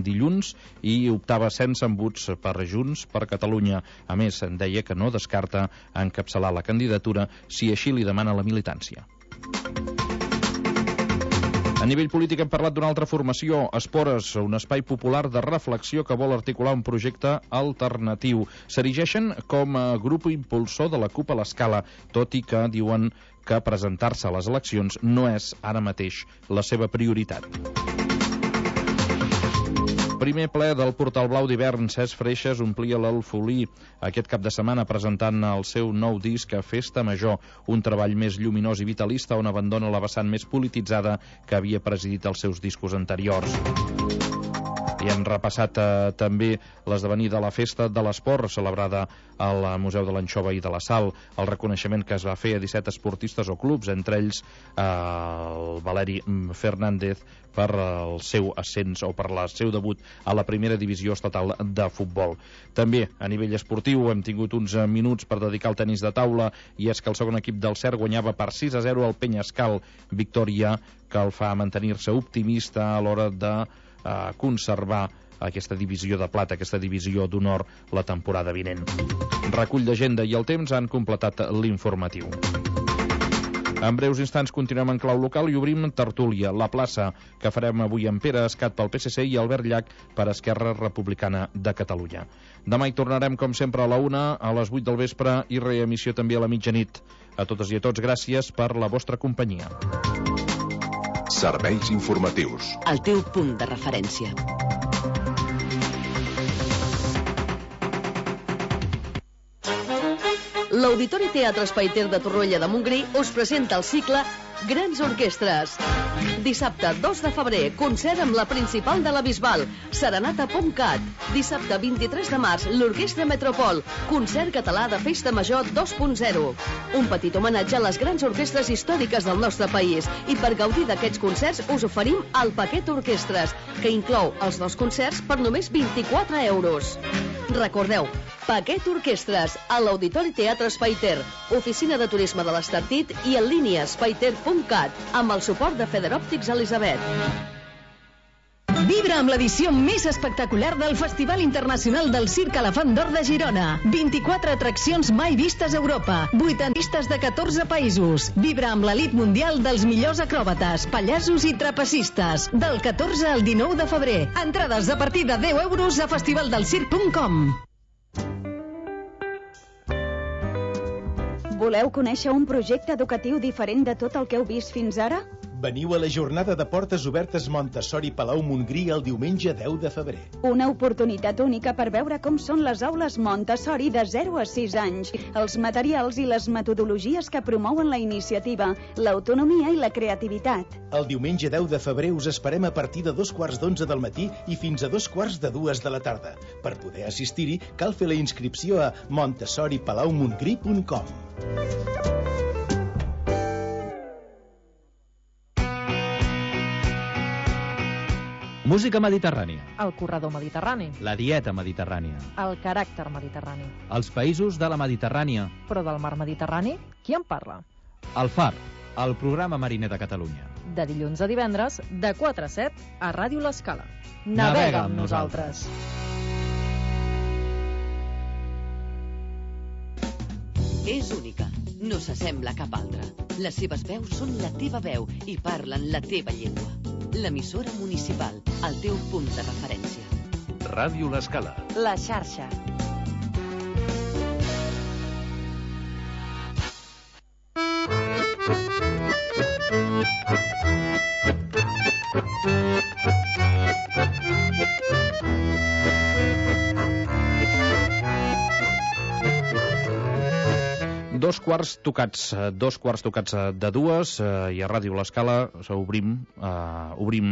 dilluns i optava sense embuts per Junts per Catalunya. A més, deia que no descarta encapçalar la candidatura si així li demana la militància. A nivell polític hem parlat d'una altra formació, Espores, un espai popular de reflexió que vol articular un projecte alternatiu. S'erigeixen com a grup impulsor de la CUP a l'Escala, tot i que diuen que presentar-se a les eleccions no és ara mateix la seva prioritat. Primer ple del Portal Blau d'hivern, Cesc Freixas omplia l'Alfolí aquest cap de setmana presentant el seu nou disc Festa Major, un treball més lluminós i vitalista on abandona la vessant més polititzada que havia presidit els seus discos anteriors. I hem repassat també l'esdevenir de la Festa de l'Esport, celebrada al Museu de l'Anxova i de la Sal, el reconeixement que es va fer a 17 esportistes o clubs, entre ells el Valeri Fernández, per el seu ascens o per el seu debut a la primera divisió estatal de futbol. També a nivell esportiu hem tingut uns minuts per dedicar al tenis de taula, i és que el segon equip del CERT guanyava per 6-0 al Penyascal, victòria que el fa mantenir-se optimista a l'hora de conservar aquesta divisió de plata, aquesta divisió d'honor la temporada vinent. Recull d'agenda i el temps han completat l'informatiu. En breus instants continuem en clau local i obrim tertúlia, la plaça, que farem avui amb Pere Escat pel PSC i Albert Llach per Esquerra Republicana de Catalunya. Demà hi tornarem com sempre a la 1, a les 8 del vespre i reemissió també a la mitjanit. A totes i a tots, gràcies per la vostra companyia. Serveis informatius. El teu punt de referència. L'Auditori Teatre Espai Ter de Torroella de Montgrí us presenta el cicle Grans Orquestres. Dissabte 2 de febrer, concert amb la principal de la Bisbal, Serenata Pomcat. Dissabte 23 de març, l'Orquestra Metropol, concert català de Festa Major 2.0. Un petit homenatge a les grans orquestres històriques del nostre país. I per gaudir d'aquests concerts us oferim el paquet Orquestres, que inclou els 2 concerts per només 24 euros. Recordeu, paquet Orquestres a l'Auditori Teatre Espai Ter, oficina de turisme de l'Estartit i en línia espaiter.cat, amb el suport de Federòptics Elisabet. Vibra amb l'edició més espectacular del Festival Internacional del Circ Elefant d'Or de Girona. 24 atraccions mai vistes a Europa, 8 artistes de 14 països. Vibra amb l'elit mundial dels millors acròbates, pallassos i trapecistes. Del 14 al 19 de febrer. Entrades a partir de 10 euros a festivaldelcirc.com. Voleu conèixer un projecte educatiu diferent de tot el que heu vist fins ara? Veniu a la jornada de portes obertes Montessori Palau Montgrí el diumenge 10 de febrer. Una oportunitat única per veure com són les aules Montessori de 0 a 6 anys, els materials i les metodologies que promouen la iniciativa, l'autonomia i la creativitat. El diumenge 10 de febrer us esperem a partir de 2:15 del matí i fins a 2:45 de la tarda. Per poder assistir-hi, cal fer la inscripció a montessoripalaumongrí.com. Música mediterrània. El corredor mediterrani. La dieta mediterrània. El caràcter mediterrani. Els països de la Mediterrània. Però del mar Mediterrani, qui en parla? El Far, el programa mariner de Catalunya. De dilluns a divendres, de 4 a 7, a Ràdio L'Escala. Navega amb nosaltres. És única, no s'assembla a cap altra. Les seves veus són la teva veu i parlen la teva llengua. L'emissora municipal, el teu punt de referència. Ràdio L'Escala. La xarxa. Dos quarts tocats de 2 i a Ràdio L'Escala obrim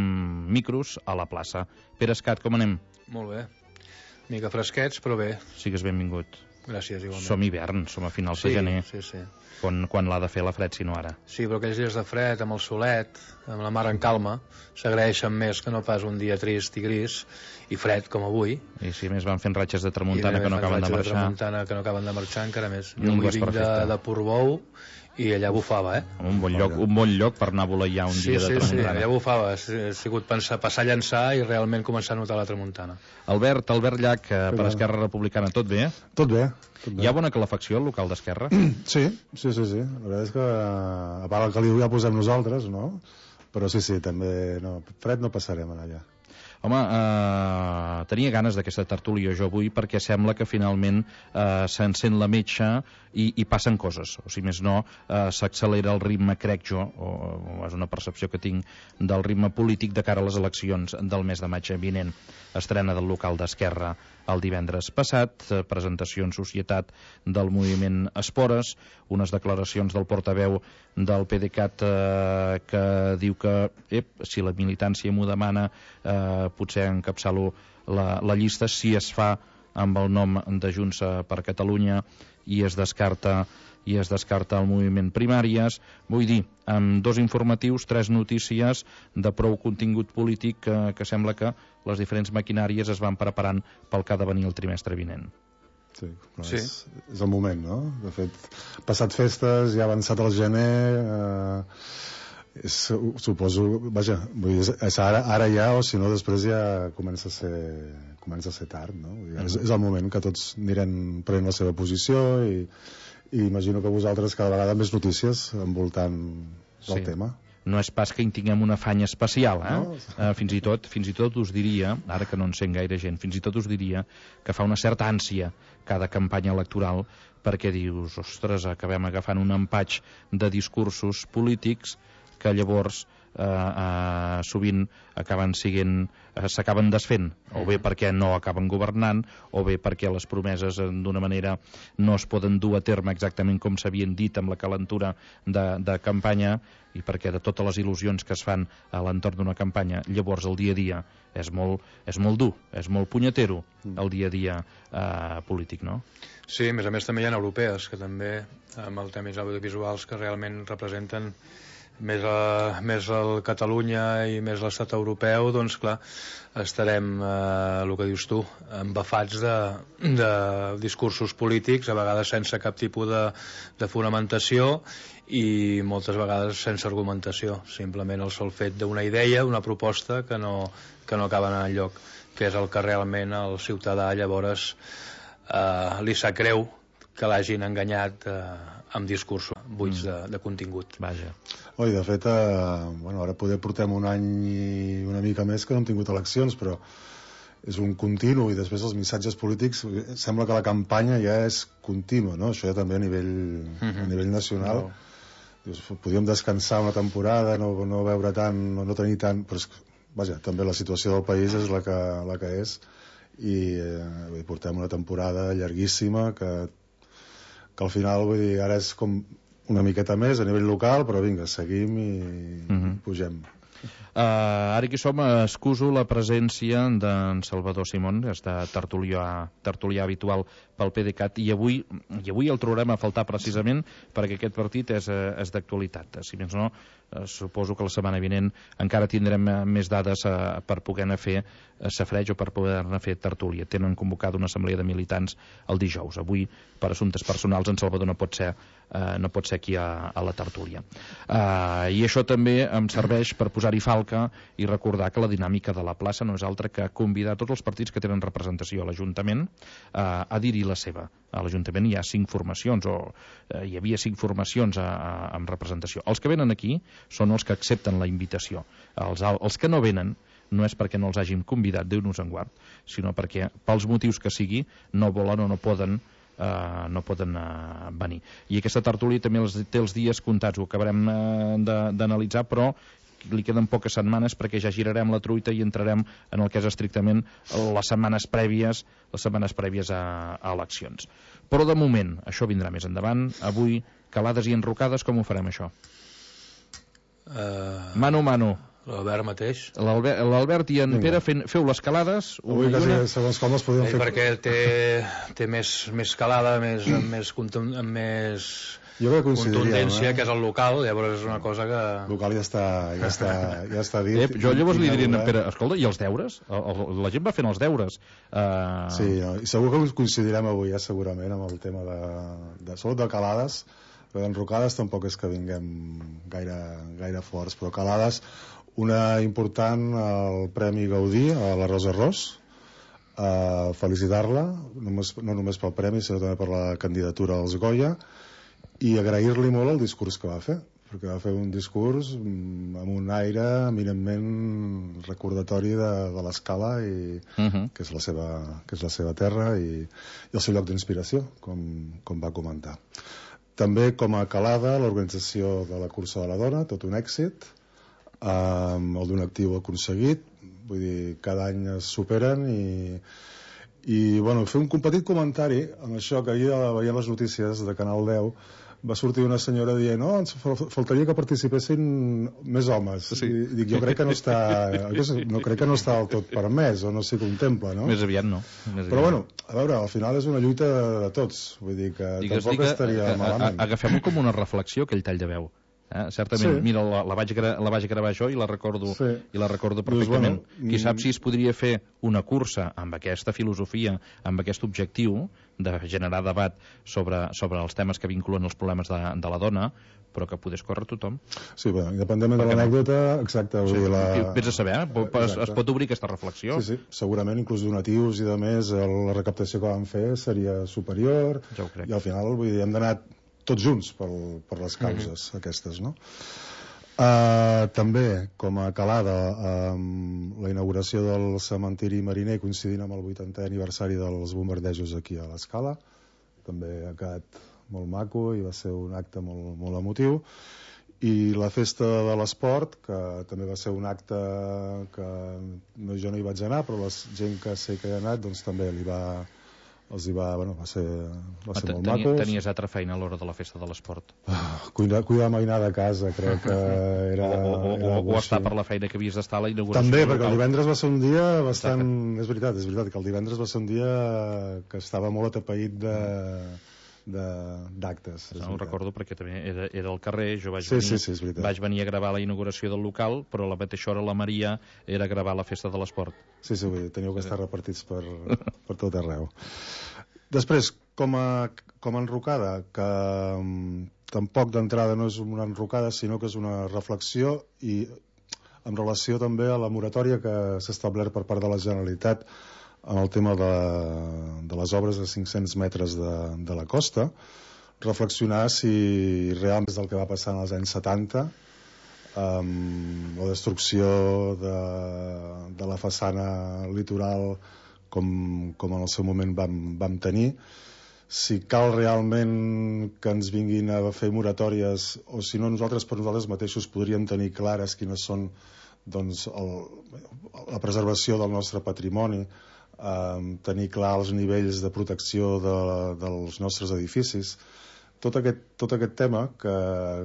micros a la plaça. Pere Escat, com anem? Molt bé. Mica fresquets, però bé. Sigues benvingut. Gràcies, igualment. Som hivern, som a finals de gener. Sí, sí. Quan l'ha de fer la fred, si no ara. Sí, però aquells dies de fred, amb el solet, amb la mar en calma, s'agraeixen més que no pas un dia trist i gris i fred com avui. I si més van fent ratxes de tramuntana que no acaben de marxar. Que no acaben de marxar encara més. Jo avui vinc de Portbou i allà bufava, Un bon lloc per anar a voleiar un dia de tramuntana. Sí, allà bufava. Ha sigut passar a llançar i realment començar a notar la tramuntana. Albert Llach, per Esquerra Republicana, tot bé? Tot bé. Hi ha bona calefacció al local d'Esquerra? Sí. La veritat és que, a part el caliu ja posem nosaltres, no? Però sí, també, fred no passarem allà. Home, tenia ganes d'aquesta tertúlia jo avui perquè sembla que finalment s'encén la metxa i passen coses, o si més no s'accelera el ritme, crec jo, o és una percepció que tinc del ritme polític de cara a les eleccions del mes de maig vinent. Estrena del local d'Esquerra el divendres passat, presentació en societat del moviment Espores, unes declaracions del portaveu del PDeCAT que diu que si la militància m'ho demana potser encapçalo la llista si es fa amb el nom de Junts per Catalunya i es descarta el moviment Primàries. Vull dir, amb 2 informatius, 3 notícies de prou contingut polític que sembla que les diferents maquinàries es van preparant pel que ha de venir el trimestre vinent. Sí. És el moment, no? De fet, passat festes, ja ha avançat el gener, suposo, vaja, vull dir, és ara ja, o si no després ja comença a ser tard, no? És el moment que tots anirem prenent la seva posició i imagino que vosaltres cada vegada més notícies envoltant del tema. No és pas que hi tinguem un afany especial, no? Fins i tot us diria, ara que no en sent gaire gent, fins i tot us diria que fa una certa ànsia cada campanya electoral perquè dius, ostres, acabem agafant un empatx de discursos polítics que llavors sovint s'acaben desfent, o bé perquè no acaben governant, o bé perquè les promeses d'una manera no es poden dur a terme exactament com s'havien dit amb la calentura de campanya, i perquè de totes les il·lusions que es fan a l'entorn d'una campanya, llavors el dia a dia és molt dur, és molt punyetero el dia a dia polític, no? Sí, a més també hi ha europees que també, amb els temes audiovisuals que realment representen més el Catalunya i més l'estat europeu, doncs clar, estarem, el que dius tu, embafats de discursos polítics, a vegades sense cap tipus de fonamentació i moltes vegades sense argumentació, simplement el sol fet d'una idea, una proposta que no acaba anant enlloc, que és el que realment el ciutadà llavors li sap greu que l'hagin enganyat amb discursos buits de contingut. Vaja. Oi, de fet, ara poder portem un any i una mica més que no hem tingut eleccions, però és un continu, i després els missatges polítics, sembla que la campanya ja és contínua, no? Això ja també a nivell nacional. Dius, podríem descansar una temporada, no veure tant, no tenir tant, però vaja, també la situació del país és la que és, i portem una temporada llarguíssima que al final, vull dir, ara és com una miqueta més a nivell local, però vinga, seguim i pugem. Ara que som, excuso la presència d'en Salvador Simón, que està tertulià habitual pel PDeCAT, i avui el trobarem a faltar precisament perquè aquest partit és d'actualitat. Si més no, suposo que la setmana vinent encara tindrem més dades per poder-ne fer safreig o per poder-ne fer tertúlia. Tenen convocada una assemblea de militants el dijous. Avui, per assumptes personals, en Salvador no pot ser aquí a la tertúlia. I això també em serveix per posar-hi falca i recordar que la dinàmica de la plaça no és altra que convidar tots els partits que tenen representació a l'Ajuntament a dir-hi la seva. A l'Ajuntament hi ha 5 formacions, o hi havia 5 formacions amb representació. Els que venen aquí són els que accepten la invitació. Els que no venen no és perquè no els hàgim convidat, Déu-nos en guard, sinó perquè, pels motius que sigui, no volen o no poden venir. I aquesta tertúlia també té els dies comptats, ho acabarem d'analitzar, però li queden poques setmanes perquè ja girarem la truita i entrarem en el que és estrictament les setmanes prèvies a eleccions. Però de moment, això vindrà més endavant. Avui, calades i enrocades, com ho farem això? Mano a mano. L'Albert mateix. L'Albert i en Pere feu les calades. Avui quasi segons com les podíem fer. Perquè té més calada, més contundència, que és el local, llavors és una cosa que... El local ja està dit. Jo llavors li diria a Pere, escolta, i els deures? La gent va fent els deures. Sí, i segur que coincidirem avui, segurament, amb el tema de sobretot de calades. però d'enrocades tampoc és que vinguem gaire forts, però calades, una important, el Premi Gaudí a la Rosa Ros, felicitar-la, no només pel premi, sinó també per la candidatura als Goya, i agrair-li molt el discurs que va fer, perquè va fer un discurs amb un aire eminentment recordatori de l'Escala, que és la seva terra i el seu lloc d'inspiració, com va comentar. També com a calada, l'organització de la cursa de la dona, tot un èxit, el d'un actiu aconseguit, vull dir, cada any es superen i bueno, fer un petit comentari amb això que ahir veient les notícies de Canal 10 va sortir una senyora dient ens faltaria que participessin més homes. Sí. I dic, jo crec que no està del tot permès o no s'hi contempla, no? Més aviat no. Però bueno, a veure, al final és una lluita de tots, vull dir que tampoc estaria malament. Agafem-ho com una reflexió, aquell tall de veu. Certament, sí. Mira, la vaig gravar jo i la recordo perfectament. Qui sap si es podria fer una cursa amb aquesta filosofia, amb aquest objectiu de generar debat sobre els temes que vinculen els problemes de la dona, però que podés córrer tothom. Sí, bé, independentment de l'anècdota, exacte. Sí, vés a saber, es pot obrir aquesta reflexió. Sí, segurament, inclús donatius i de més, la recaptació que van fer seria superior, ja ho crec. I al final, vull dir, hem d'anar tots junts per les causes aquestes, no? També, com a calada, la inauguració del cementiri mariner coincidint amb el 80è aniversari dels bombardejos aquí a l'Escala, també ha quedat molt maco i va ser un acte molt, molt emotiu. I la festa de l'esport, que també va ser un acte que jo no hi vaig anar, però la gent que sé que hi ha anat doncs també va ser molt maco. Tenies altra feina a l'hora de la festa de l'esport? Cuidar mainada a casa, crec que era o estar per la feina que havies d'estar a la inauguració. També, perquè el divendres va ser un dia bastant... És veritat que el divendres va ser un dia que estava molt atapeït d'actes. No ho recordo perquè també era al carrer, jo vaig venir a gravar la inauguració del local, però a la mateixa hora la Maria era a gravar la festa de l'esport. Sí, teniu que estar repartits per tot arreu. Després, com a enrocada, que tampoc d'entrada no és una enrocada, sinó que és una reflexió i en relació també a la moratòria que s'ha establert per part de la Generalitat en el tema de les obres a 500 metres de la costa, reflexionar si realment és el que va passar en els anys 70, la destrucció de la façana litoral com en el seu moment vam tenir, si cal realment que ens vinguin a fer moratòries o si no nosaltres per nosaltres mateixos podríem tenir clares quines són doncs, la preservació del nostre patrimoni, tenir clar els nivells de protecció dels nostres edificis. Tot aquest tema, que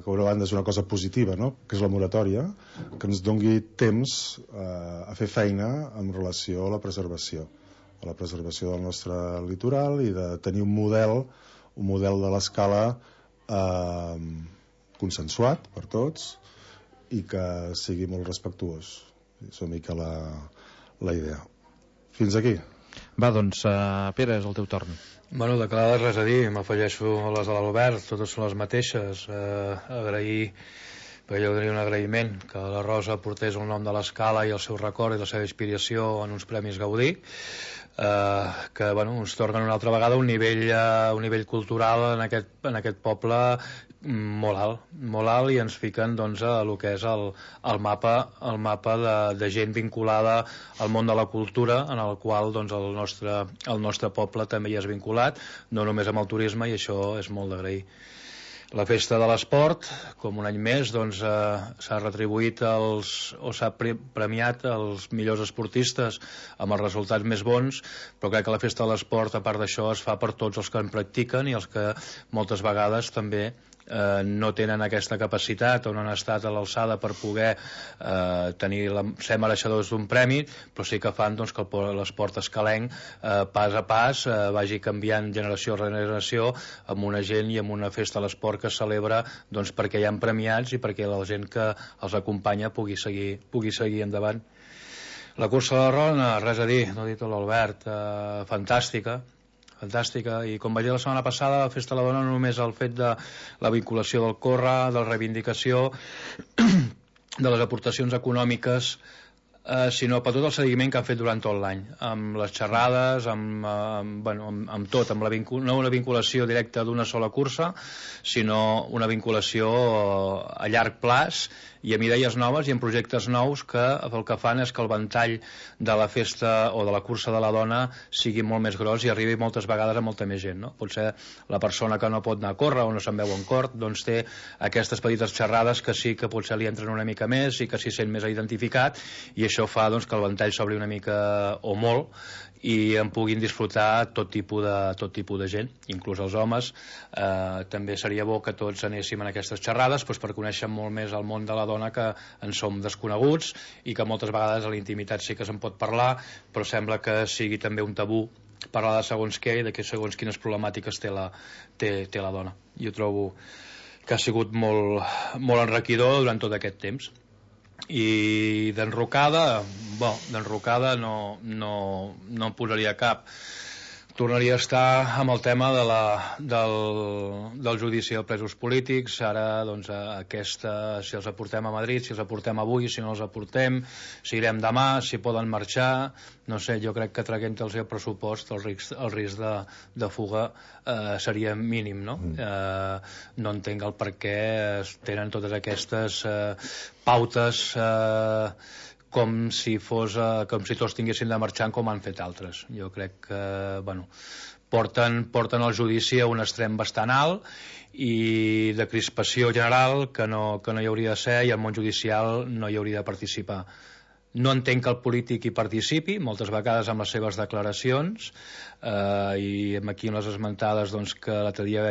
per una banda és una cosa positiva, no? Que és la moratòria, que ens dongui temps a fer feina en relació a la preservació del nostre litoral i de tenir un model de l'Escala consensuat per tots i que sigui molt respectuós. És una mica la idea. Fins aquí. Va, doncs, Pere, és el teu torn. Bueno, de calades res a dir, m'afegeixo a les de l'Albert, totes són les mateixes. Agrair, perquè jo tenia un agraïment, que la Rosa portés el nom de l'Escala i el seu record i la seva inspiració en uns Premis Gaudí, que bueno, ens tornen una altra vegada un nivell cultural en aquest poble molt alt i ens fiquen doncs, a el que és el mapa de gent vinculada al món de la cultura, en el qual doncs, el nostre poble també hi és vinculat, no només amb el turisme, i això és molt d'agrair. La festa de l'esport, com un any més, doncs, s'ha retribuït s'ha premiat els millors esportistes amb els resultats més bons, però crec que la festa de l'esport, a part d'això, es fa per tots els que en practiquen i els que moltes vegades també no tenen aquesta capacitat o no han estat a l'alçada per poder ser mereixedors d'un premi, però sí que fan doncs, que l'esport escalenc pas a pas vagi canviant generació rere generació amb una gent i amb una festa de l'esport que es celebra doncs, perquè hi ha premiats i perquè la gent que els acompanya pugui seguir endavant. La cursa de la Rona, res a dir, no ha dit l'Albert, fantàstica, fantàstica, i com vaig dir la setmana passada, la Festa de la Dona no només el fet de la vinculació del córrer, de la reivindicació, de les aportacions econòmiques, sinó per tot el seguiment que han fet durant tot l'any, amb les xerrades, amb tot, amb no una vinculació directa d'una sola cursa, sinó una vinculació a llarg plaç i amb idees noves i amb projectes nous que el que fan és que el ventall de la festa o de la cursa de la dona sigui molt més gros i arribi moltes vegades a molta més gent, no? Potser la persona que no pot anar a córrer o no se'n veu en cort, doncs té aquestes petites xerrades que sí que potser li entren una mica més i que s'hi sent més identificat, i això fa doncs, que el ventall s'obri una mica o molt i en puguin disfrutar tot tipus de gent, inclús els homes. També seria bo que tots anéssim en aquestes xerrades per conèixer molt més el món de la dona, que en som desconeguts i que moltes vegades a la intimitat sí que se'n pot parlar, però sembla que sigui també un tabú parlar de segons què i de segons quines problemàtiques té la dona. Jo trobo que ha sigut molt enriquidor durant tot aquest temps. I d'enrocada no em posaria cap. Tornaria a estar amb el tema del judici de presos polítics. Ara, doncs, si els aportem a Madrid, si els aportem avui, si no els aportem, si irem demà, si poden marxar, no sé, jo crec que traient-los el pressupost el risc de fuga seria mínim, no? No entenc el per què tenen totes aquestes pautes com si tots tinguessin de marxar com han fet altres. Jo crec que porten el judici a un extrem bastant alt i de crispació general que no hi hauria de ser, i el món judicial no hi hauria de participar. No entenc que el polític hi participi, moltes vegades amb les seves declaracions, i aquí en les esmentades que l'altre dia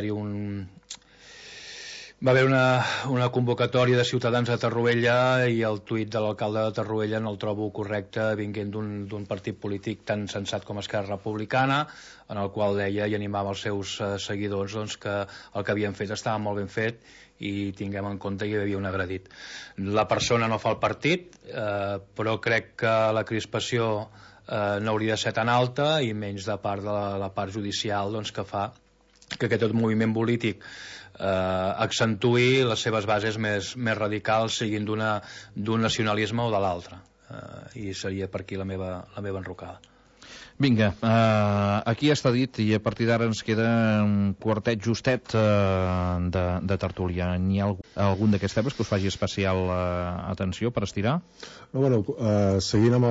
va haver una convocatòria de ciutadans a Torroella, i el tuit de l'alcalde de Torroella no el trobo correcte vinguent d'un partit polític tan sensat com Esquerra Republicana, en el qual deia i animava els seus seguidors que el que havien fet estava molt ben fet i tinguem en compte que hi havia un agredit. La persona no fa el partit, però crec que la crispació no hauria de ser tan alta, i menys de part de la part judicial que fa que aquest moviment polític accentuï les seves bases més radicals, siguin d'un nacionalisme o de l'altre, i seria per aquí la meva enrocada. Vinga, aquí està dit, i a partir d'ara ens queda un quartet justet de tertúlia. N'hi ha algun d'aquests temes que us faci especial atenció per estirar? Seguint amb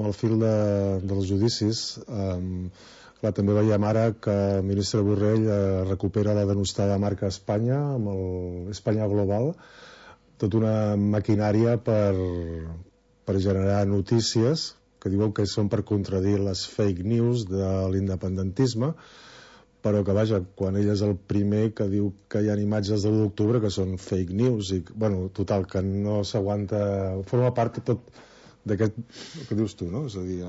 el fil dels judicis, també veiem ara que el ministre Borrell recupera la denostada marca Espanya amb l'Espanya Global, tota una maquinària per generar notícies que diuen que són per contradir les fake news de l'independentisme, però que, vaja, quan ell és el primer que diu que hi ha imatges de l'1 d'octubre que són fake news, i, total, que no s'aguanta, forma part tot d'aquest, que dius tu, no? És a dir,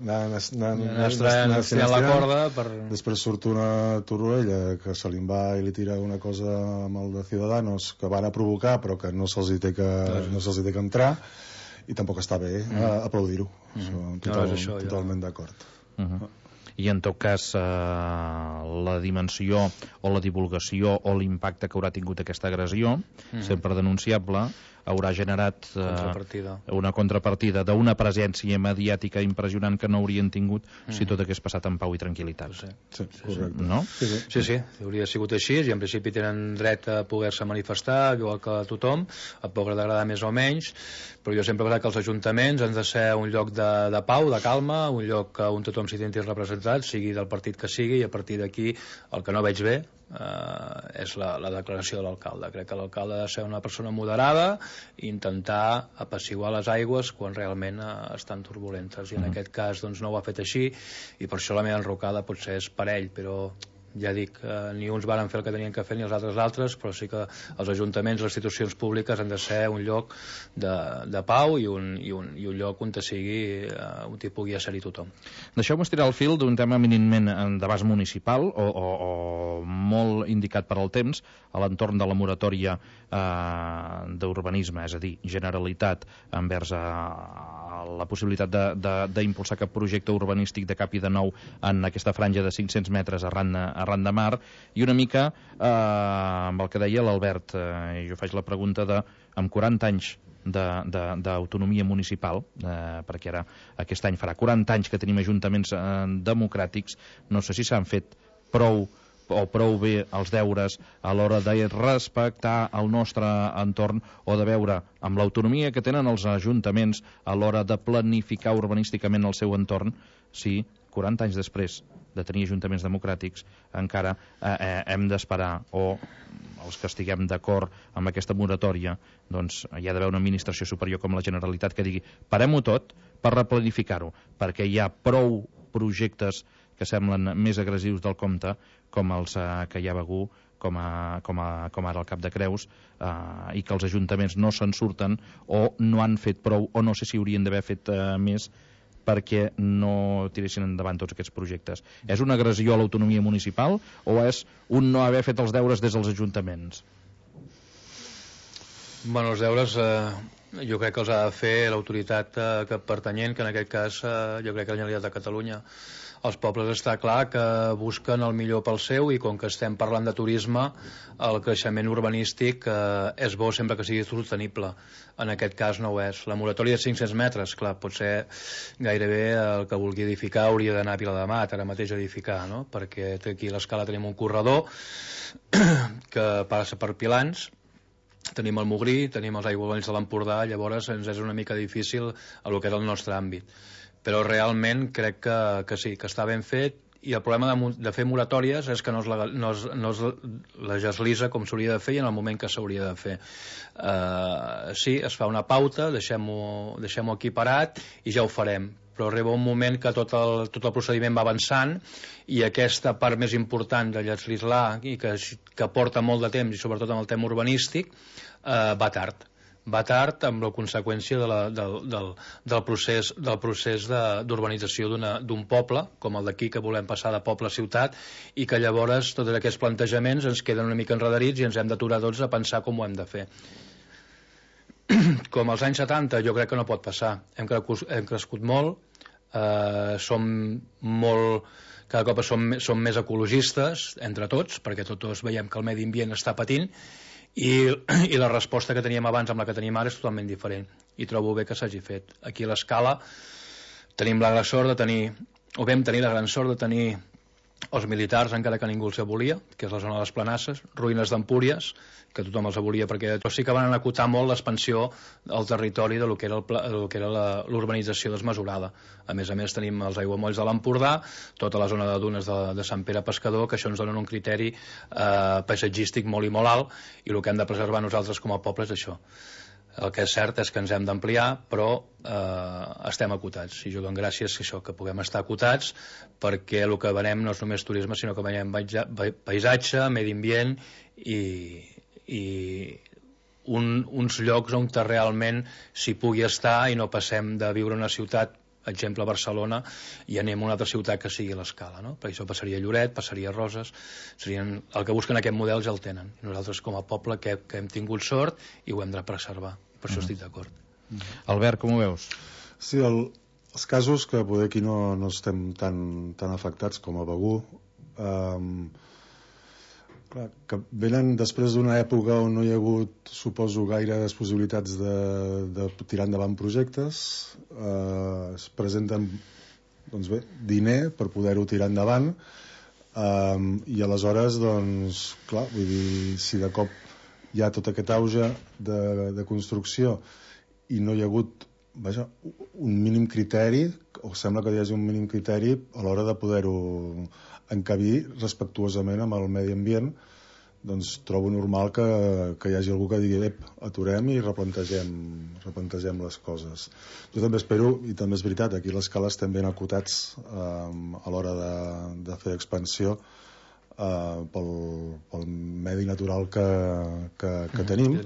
anar estirant la corda per... Després surt una Torroella que se li va i li tira una cosa amb el de Ciudadanos que van a provocar però que no se'ls hi té que entrar, i tampoc està bé aplaudir-ho. Totalment d'acord. I en tot cas la dimensió o la divulgació o l'impacte que haurà tingut aquesta agressió, sempre denunciable, haurà generat una contrapartida d'una presència mediàtica impressionant que no haurien tingut si tot hagués passat en pau i tranquil·litat. Sí, correcte. No? Sí, hauria sigut així, i en principi tenen dret a poder-se manifestar, igual que tothom, et pot agradar més o menys, però jo sempre he pensat que els ajuntaments han de ser un lloc de pau, de calma, un lloc on tothom s'hi senti representat, sigui del partit que sigui, i a partir d'aquí el que no veig bé és la declaració de l'alcalde. Crec que l'alcalde ha de ser una persona moderada i intentar apaciguar les aigües quan realment estan turbulentes, i en aquest cas no ho ha fet així, i per això la meva enrocada potser és per ell, però ja dic, ni uns varen fer el que tenien que fer ni els altres, però sí que els ajuntaments, les institucions públiques han de ser un lloc de pau i un lloc on sigui on hi pugui ser-hi tothom. Deixeu-me estirar el fil d'un tema eminentment d'abast municipal o molt indicat per al temps a l'entorn de la moratòria d'urbanisme, és a dir, Generalitat envers la possibilitat d'impulsar cap projecte urbanístic de cap i de nou en aquesta franja de 500 metres arran de mar, i una mica amb el que deia l'Albert, jo faig la pregunta de, amb 40 anys d'autonomia municipal, perquè ara aquest any farà 40 anys que tenim ajuntaments democràtics, no sé si s'han fet prou bé els deures a l'hora de respectar el nostre entorn o de veure amb l'autonomia que tenen els ajuntaments a l'hora de planificar urbanísticament el seu entorn, si 40 anys després de tenir ajuntaments democràtics encara hem d'esperar, o els que estiguem d'acord amb aquesta moratòria, doncs hi ha d'haver una administració superior com la Generalitat que digui parem-ho tot per replanificar-ho, perquè hi ha prou projectes que semblen més agressius del compte, com els que hi ha a Begur, com ara el Cap de Creus, i que els ajuntaments no se'n surten o no han fet prou, o no sé si haurien d'haver fet més perquè no tiressin endavant tots aquests projectes. És una agressió a l'autonomia municipal o és un no haver fet els deures des dels ajuntaments? Bueno, els deures jo crec que els ha de fer l'autoritat pertanyent, que en aquest cas jo crec que la Generalitat de Catalunya. Els pobles està clar que busquen el millor pel seu, i com que estem parlant de turisme, el creixement urbanístic és bo sempre que sigui sostenible. En aquest cas no ho és. La moratòria de 500 metres, clar, pot ser gairebé el que vulgui edificar hauria d'anar a Vilademat ara mateix a edificar, no? Perquè aquí a l'Escala tenim un corredor que passa per Pilans, tenim el Mogrí, tenim els aiguamolls de l'Empordà, llavors ens és una mica difícil el que és el nostre àmbit. Però realment crec que sí, que està ben fet, i el problema de fer moratòries és que no es legislisa com s'hauria de fer i en el moment que s'hauria de fer. Sí, es fa una pauta, deixem-ho aquí parat i ja ho farem, però arriba un moment que tot el procediment va avançant i aquesta part més important de legislar i que porta molt de temps, i sobretot amb el tema urbanístic, va tard amb la conseqüència del procés d'urbanització d'un poble com el d'aquí, que volem passar de poble a ciutat, i que llavors tots aquests plantejaments ens queden una mica enredarits i ens hem d'aturar tots a pensar com ho hem de fer. Com als anys 70 jo crec que no pot passar, hem crescut molt, cada cop som més ecologistes entre tots, perquè tots veiem que el medi ambient està patint, i la resposta que teníem abans amb la que tenim ara és totalment diferent, i trobo bé que s'hagi fet. Aquí a l'Escala tenim la gran sort de tenir, o vam tenir la gran sort de tenir els militars, encara que ningú els volia, que és la zona de les Planasses, ruïnes d'Empúries, que tothom els volia, perquè sí que van acotar molt l'expansió al territori de lo que era l'urbanització desmesurada. A més tenim els aiguamolls de l'Empordà, tota la zona de dunes de Sant Pere Pescador, que això ens donen un criteri paisatgístic molt i molt alt, i el que hem de preservar nosaltres com a poble és això. El que és cert és que ens hem d'ampliar, però estem acotats, i jo dono gràcies que puguem estar acotats, perquè el que venem no és només turisme, sinó que veiem paisatge, medi ambient i uns llocs on realment s'hi pugui estar i no passem de viure en una ciutat, exemple Barcelona, i anem a una altra ciutat que sigui l'Escala, no? Per això passaria a Lloret, passaria a Roses, el que busquen aquest model ja el tenen. Nosaltres com a poble que hem tingut sort i ho hem de preservar, per això estic d'acord. Albert, com ho veus? Sí, els casos que poder aquí no estem tan afectats com a Begur, que venen després d'una època on no hi ha hagut, suposo, gaires possibilitats de tirar endavant projectes, es presenten diner per poder-ho tirar endavant, i aleshores, clar, vull dir, si de cop hi ha tot aquest auge de construcció i no hi ha hagut un mínim criteri, o sembla que hi hagi un mínim criteri a l'hora de poder-ho encabir respectuosament amb el medi ambient, doncs trobo normal que hi hagi algú que digui aturem i replantegem les coses. Jo també espero, i també és veritat, aquí a l'Escala estem ben acotats a l'hora de fer expansió, pel medi natural que tenim,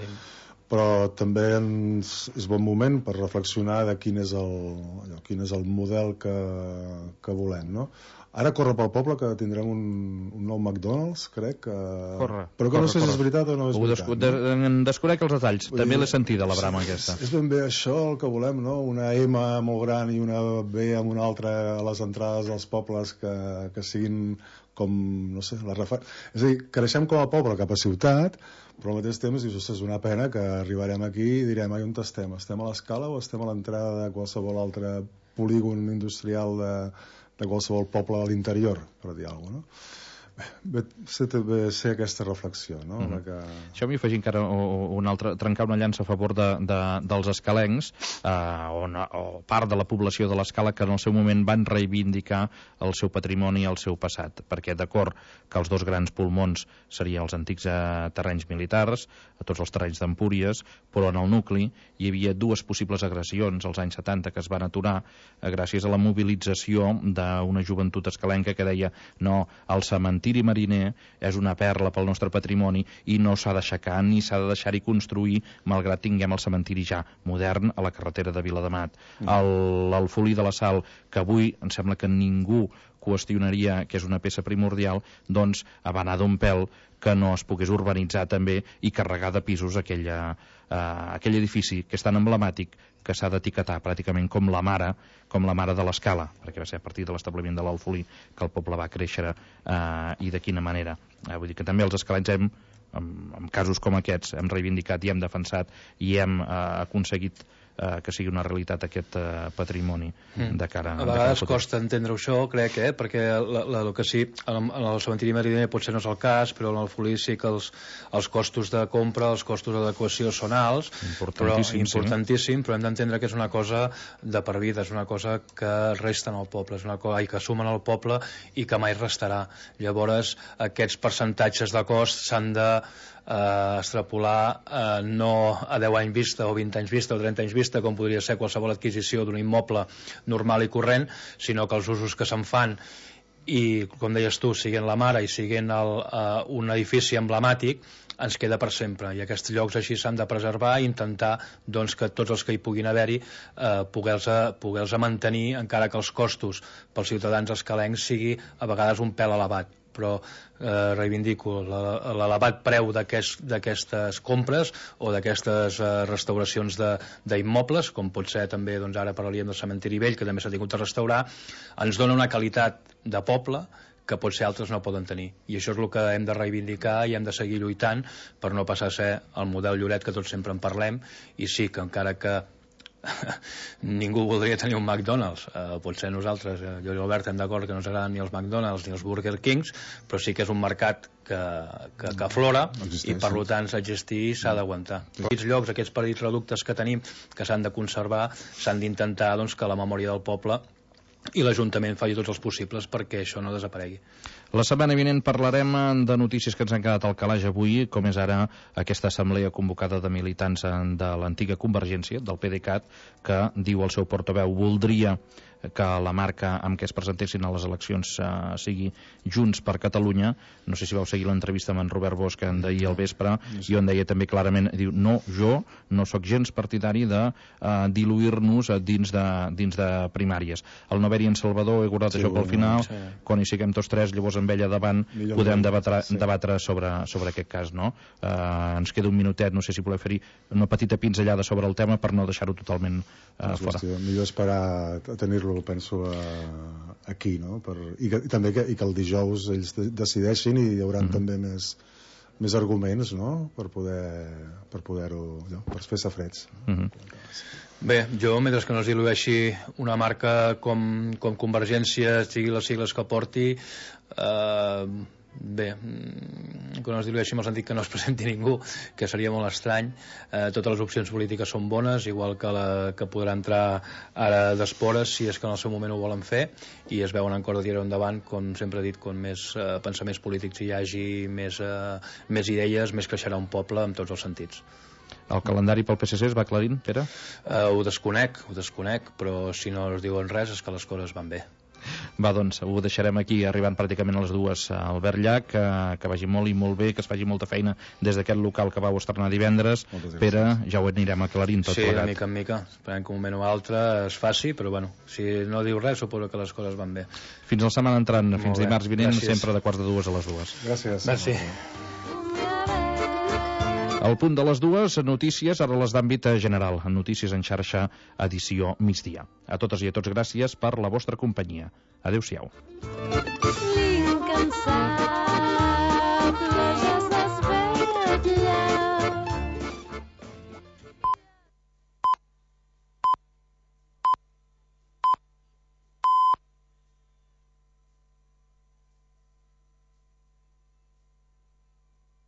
però també és bon moment per reflexionar de quin és el model que volem, no? Ara corre pel poble que tindrem un nou McDonald's, crec que... Però que no sé si és veritat o no és veritat. Desconec els detalls, també l'he sentida la brama aquesta. És ben bé això el que volem, no? Una M molt gran i una B amb una altra a les entrades dels pobles que siguin com, no sé, és a dir, creixem com a poble cap a ciutat, però al mateix temps dius, és una pena que arribarem aquí i direm, on estem? Estem a l'Escala o estem a l'entrada de qualsevol altre polígon industrial de qualsevol poble a l'interior, per dir alguna cosa, no? Bé, ser aquesta reflexió, no? Això m'hi afegir encara trencar una llança a favor dels escalencs, o part de la població de l'Escala que en el seu moment van reivindicar el seu patrimoni i el seu passat, perquè d'acord que els dos grans pulmons serien els antics terrenys militars, a tots els terrenys d'Empúries, però en el nucli hi havia dues possibles agressions als anys 70 que es van aturar gràcies a la mobilització d'una joventut escalenca que deia no, el cementiri mariner és una perla pel nostre patrimoni i no s'ha d'aixecar ni s'ha de deixar-hi construir malgrat tinguem el cementiri ja modern a la carretera de Viladamat. L'Alfolí de la Sal, que avui em sembla que ningú qüestionaria que és una peça primordial, doncs va anar d'un pèl que no es pogués urbanitzar també i carregar de pisos aquell edifici que és tan emblemàtic que s'ha d'etiquetar pràcticament com la mare de l'Escala, perquè va ser a partir de l'establiment de l'Alfolí que el poble va créixer i de quina manera. Vull dir que també els escalencs en casos com aquests hem reivindicat i hem defensat i hem aconseguit que sigui una realitat aquest patrimoni de cara a vegades costa entendre això, crec, perquè el que sí, en el cementiri mariner potser no és el cas, però en l'Alfolí sí que els costos de compra, els costos d'adequació són alts, importantíssim, però hem d'entendre que és una cosa de per vida, és una cosa que resta en el poble, és una cosa que sumen al poble i que mai restarà. Llavors aquests percentatges de cost s'han de extrapolar no a 10 anys vista o 20 anys vista o 30 anys vista com podria ser qualsevol adquisició d'un immoble normal i corrent, sinó que els usos que se'n fan i, com deies tu, siguin la mare i siguin un edifici emblemàtic, ens queda per sempre, i aquests llocs així s'han de preservar i intentar doncs, que tots els que hi puguin haver-hi poder-los mantenir, encara que els costos pels ciutadans escalencs sigui a vegades un pèl elevat, però reivindico l'elevat preu d'aquestes compres o d'aquestes restauracions d'immobles, com pot ser també, doncs ara parlaríem del cementiri vell, que també s'ha tingut de restaurar, ens dona una qualitat de poble que potser altres no poden tenir, i això és el que hem de reivindicar i hem de seguir lluitant per no passar a ser el model Lloret que tots sempre en parlem, i sí que encara que ningú voldria tenir un McDonald's, potser nosaltres, jo i l'Albert, estem d'acord que no ens agraden ni els McDonald's ni els Burger Kings, però sí que és un mercat que aflora i per tant s'ha d'existir i s'ha d'aguantar. Aquests llocs, aquests petits reductes que tenim que s'han de conservar, s'han d'intentar doncs, que la memòria del poble i l'Ajuntament faci tots els possibles perquè això no desaparegui. La setmana vinent parlarem de notícies que ens han quedat al calaix avui, com és ara aquesta assemblea convocada de militants de l'antiga Convergència, del PDeCAT, que diu el seu portaveu voldria que la marca amb què es presentessin a les eleccions sigui Junts per Catalunya. No sé si vau seguir l'entrevista amb en Robert Bosch d'ahir al vespre, i on deia també clarament, diu, no, jo no sóc gens partidari de diluir-nos dins de primàries. El no haver-hi en Salvador, he guardat això pel final, quan hi siguem tots tres, llavors amb ella davant podem debatre sobre aquest cas, no? Ens queda un minutet, no sé si voleu fer-hi una petita pinzellada sobre el tema per no deixar-ho totalment fora. Millor esperar a tenir-lo, penso, aquí, no? I també que el dijous ells decideixin i hi haurà també més arguments, no? Per poder-ho, per fer safrets. Bé, jo, mentre que no es dilueixi una marca com Convergència, sigui les sigles que porti, bé, que no es dilueixi en el sentit que no es presenti ningú, que seria molt estrany. Totes les opcions polítiques són bones, igual que la que podrà entrar ara d'espores, si és que en el seu moment ho volen fer, i es veuen en cor de tirar endavant, com sempre he dit, com més pensaments polítics hi hagi, més idees, més creixerà un poble en tots els sentits. El calendari pel PSC es va aclarint, Pere? Ho desconec, però si no es diuen res és que les coses van bé. Va, doncs, ho deixarem aquí, arribant pràcticament a les 2 a Albert Llach, que vagi molt i molt bé, que es faci molta feina des d'aquest local que vau estrenar divendres. Pere, ja ho anirem aclarint tot plegat. Sí, de mica en mica. Esperem que un moment o altre es faci, però bueno, si no diu res, suposo que les coses van bé. Fins la setmana entrant, fins dimarts vinent, sempre de 1:45 a les 2. Gràcies. Merci. Al punt de les 2, notícies, ara les d'àmbit general. Notícies en xarxa, edició migdia. A totes i a tots, gràcies per la vostra companyia. Adéu-siau.